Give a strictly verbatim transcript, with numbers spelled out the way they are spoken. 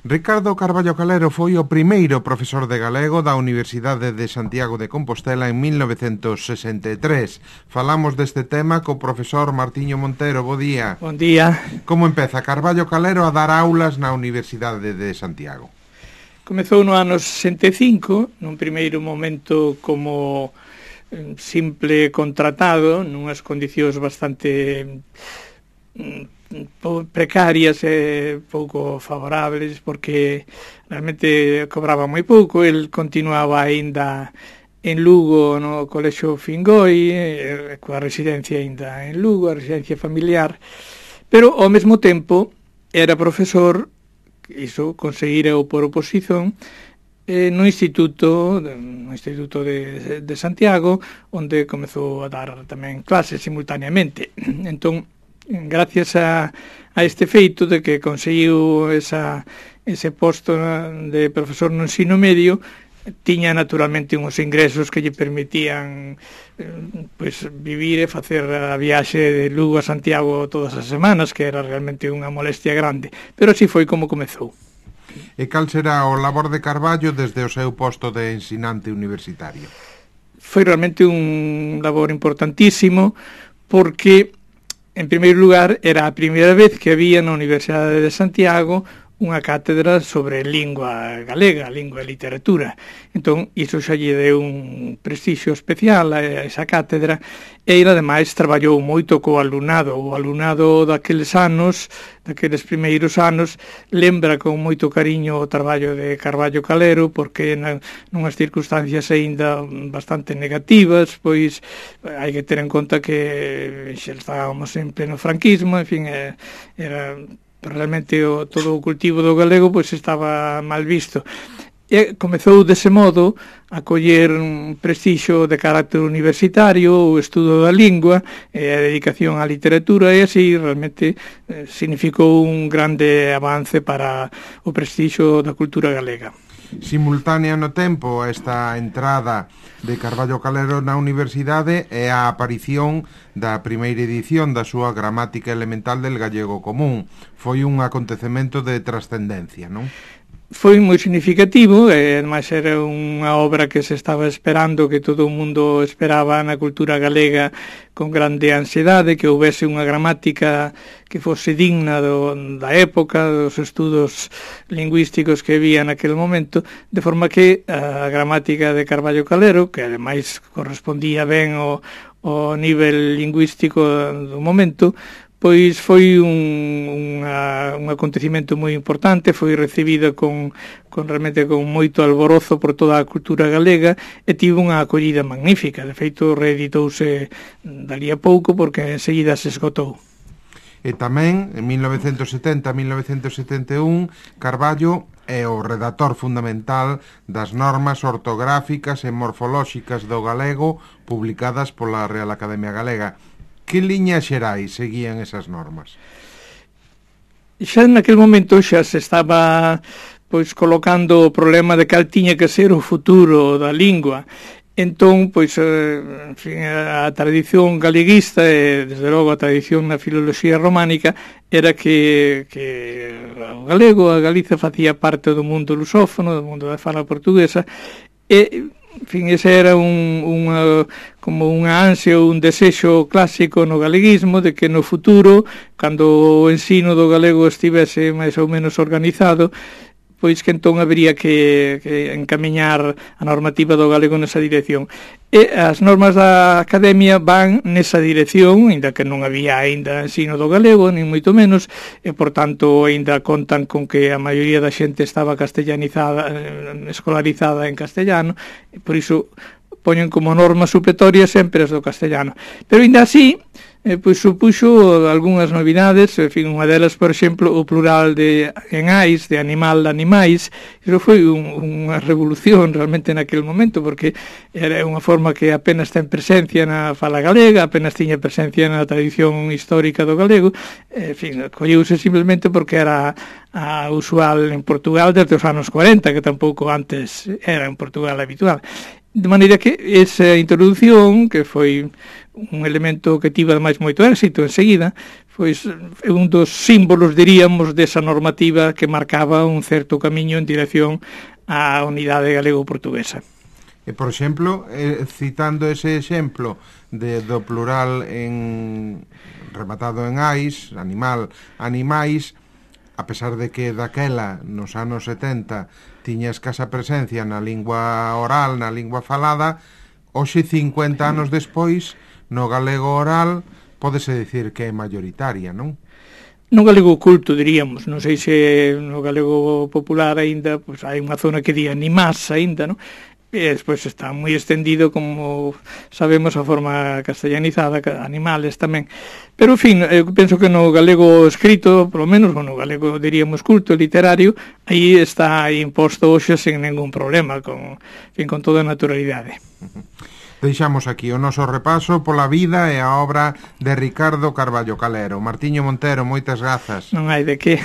Ricardo Carballo Calero foi o primeiro profesor de galego da Universidade de Santiago de Compostela en mil novecentos sesenta e tres. Falamos deste tema co profesor Martiño Montero. Bo día. Bon día. Como empeza Carballo Calero a dar aulas na Universidade de Santiago? Comezou no ano sesenta e cinco, nun primeiro momento como simple contratado, nunhas condicións bastante precarias e pouco favorables, porque realmente cobraba moi pouco. El continuaba aínda en Lugo no Colexio Fingoi, eh, coa residencia aínda en Lugo, a residencia familiar, pero ao mesmo tempo era profesor, iso conseguira o por oposición, eh, no Instituto no Instituto de, de Santiago, onde comezou a dar tamén clases simultaneamente. Entón, gracias a, a este feito de que conseguiu esa, ese posto de profesor no ensino medio, tiña naturalmente uns ingresos que lle permitían eh, pues, vivir e facer a viaxe de Lugo a Santiago todas as semanas, que era realmente unha molestia grande, pero así foi como comezou. E cal será o labor de Carballo desde o seu posto de ensinante universitario? Foi realmente un labor importantísimo, porque en primeiro lugar, era a primeira vez que había na Universidade de Santiago unha cátedra sobre lingua galega, lingua e literatura. Entón, iso xa lle deu un prestixio especial a esa cátedra, e ele, ademais, traballou moito co alumnado. O alumnado daqueles anos, daqueles primeiros anos, lembra con moito cariño o traballo de Carballo Calero, porque na, nunhas circunstancias aínda bastante negativas, pois hai que ter en conta que xa estábamos en pleno franquismo, en fin, era realmente o, todo o cultivo do galego pois estaba mal visto. E comezou dese modo a coller un prestixio de carácter universitario, o estudo da lingua e a dedicación á literatura, e así realmente eh, significou un grande avance para o prestixio da cultura galega. Simultánea no tempo esta entrada de Carballo Calero na universidade é a aparición da primeira edición da súa Gramática Elemental del Gallego Común. Foi un acontecemento de trascendencia, non? Foi moi significativo, e ademais era unha obra que se estaba esperando, que todo o mundo esperaba na cultura galega con grande ansiedade, que houvese unha gramática que fose digna do, da época, dos estudos lingüísticos que había naquele momento, de forma que a gramática de Carballo Calero, que ademais correspondía ben ao, ao nivel lingüístico do momento, pois foi un, unha, un acontecimento moi importante, foi recibida con, con realmente con moito alborozo por toda a cultura galega, e tivo unha acollida magnífica. De feito, reeditouse dali a pouco, porque enseguida se esgotou. E tamén, en mil novecentos setenta a mil novecentos setenta e un, Carballo é o redactor fundamental das normas ortográficas e morfolóxicas do galego publicadas pola Real Academia Galega. Que liñas xerais seguían esas normas? Xa naquele momento xa se estaba pois colocando o problema de cal tiña que ser o futuro da lingua. Entón, pois, en fin, a tradición galeguista e, desde logo, a tradición na filoloxía románica era que, que o galego, a Galiza, facía parte do mundo lusófono, do mundo da fala portuguesa, e en fin, ese era un, unha, como unha ansia ou un desexo clásico no galeguismo de que no futuro, cando o ensino do galego estivese máis ou menos organizado, pois que entón habería que, que encamiñar a normativa do galego nesa dirección. E as normas da Academia van nesa dirección, ainda que non había aínda ensino do galego, nin moito menos, e, por tanto, aínda contan con que a maioría da xente estaba castellanizada, escolarizada en castellano, e por iso poñen como norma supletoria sempre as do castellano. Pero, aínda así, eh, pois supuxo algunhas novidades, en fin, unha delas, por exemplo, o plural de en ais, de animal de animais. Iso foi un, unha revolución realmente naquele momento, porque era unha forma que apenas ten presencia na fala galega, apenas tiña presencia na tradición histórica do galego, en fin, colleuse simplemente porque era a usual en Portugal desde os anos cuarenta, que tampouco antes era en Portugal habitual. De maneira que esa introdución, que foi un elemento que tivo ademais moito éxito enseguida, pois é un dos símbolos, diríamos, desa normativa que marcaba un certo camiño en dirección á unidade galego-portuguesa. E, por exemplo, eh, citando ese exemplo de, do plural en rematado en ais, animal, animais, a pesar de que daquela, nos anos setenta, tiña escasa presencia na lingua oral, na lingua falada, hoxe, cincuenta anos despois, no galego oral, pódese dicir que é maioritaria, non? No galego culto, diríamos, non sei se no galego popular aínda, pois hai unha zona que di animás aínda, non? E despois está moi estendido, como sabemos, a forma castellanizada, animales tamén. Pero, en fin, eu penso que no galego escrito, polo menos, ou no galego, diríamos, culto, literario, aí está imposto hoxe sen ningún problema, con, en fin, con toda a naturalidade. Deixamos aquí o noso repaso pola vida e a obra de Ricardo Carballo Calero. Martiño Montero, moitas grazas. Non hai de que.